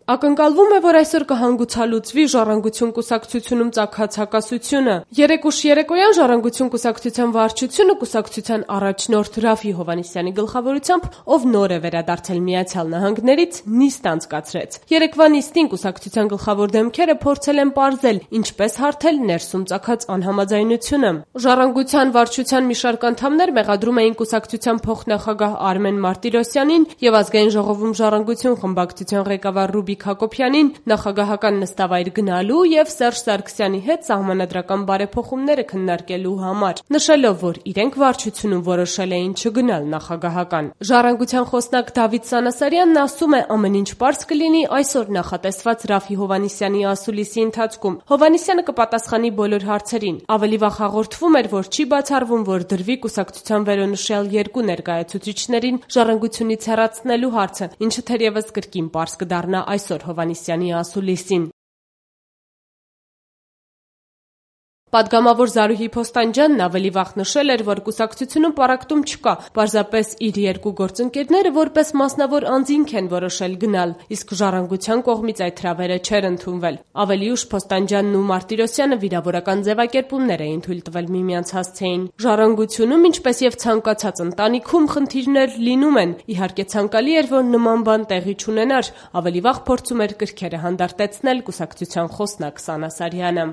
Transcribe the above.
Ակնկալվում է, որ այսօր կհանգուցալուծվի Ժառանգություն կուսակցությունում ծագած հակասությունը։ Երեկ ուշ երեկոյան Ժառանգություն կուսակցության վարչությունը կուսակցության առաջնորդ Ռաֆի Հովհաննիսյանի գլխավորությամբ, ով նոր է վերադարձել Միացյալ Նահանգներից, նիստ անցկացրեց։ Երեկվա նիստին կուսակցության գլխավոր դեմքերը փորձել են պարզել, ինչպես հարթել ներսում ծագած անհամաձայնությունը։ Ժառանգության վարչության մի շարք անդամներ մեղադրում էին կուսակցության փոխնախագահ Արմեն Մարտիրոսյանին եւ Ազգային ժողովում Ժառանգություն խմբակցության ղեկավար Ռուբիկ Հակոբյանին նախագահական նստավայր գնալու եւ Սերժ Սարգսյանի հետ սահմանադրական բարեփոխումները քննարկելու համար, նշելով, որ իրենք վարչությունում որոշել էին չգնալ նախագահական։ Ժառանգության խոսնակ Դավիթ Սանասարյանն ասում է, ամեն ինչ պարզ կլինի այսօր նախատեսված Ռաֆի Հովհաննիսյանի ասուլիսի ընթացքում։ Հովհաննիսյանը կպատասխանի բոլոր հարցերին։ Ավելի վաղ հաղորդվում էր, որ չի բացառվում, որ դրվի կուսակցության վերոնշյալ երկու ներկայացուցիչներին Ժառանգությունից հեռացնելու հարցը, ինչը թերևս կրկին պարզ կդառնա այսօր Հովհաննիսյանի ասուլիսին։ Պատգամավոր Զարուհի Փոստանջյանն ավելի վաղ նշել էր, որ կուսակցությունում պառակտում չկա, պարզապես իր երկու գործընկերները որպես մասնավոր անձինք են որոշել գնալ, իսկ Ժառանգության կողմից այդ հրավերը չէր ընդունվել։ Ավելի ուշ Փոստանջյանն ու Մարտիրոսյանը վիրավորական ձևակերպումներ էին թույլ տվել միմյանց հասցեին։ Ժառանգությունում, ինչպես եւ ցանկացած ընտանիքում, խնդիրներ լինում են։ Իհարկե ցանկալի էր, որ նման բան տեղի չունենար, ավելի վաղ փորձում էր կրքերը հանդարտեցնել կուսակցության խոսնակ Սանասարյանը։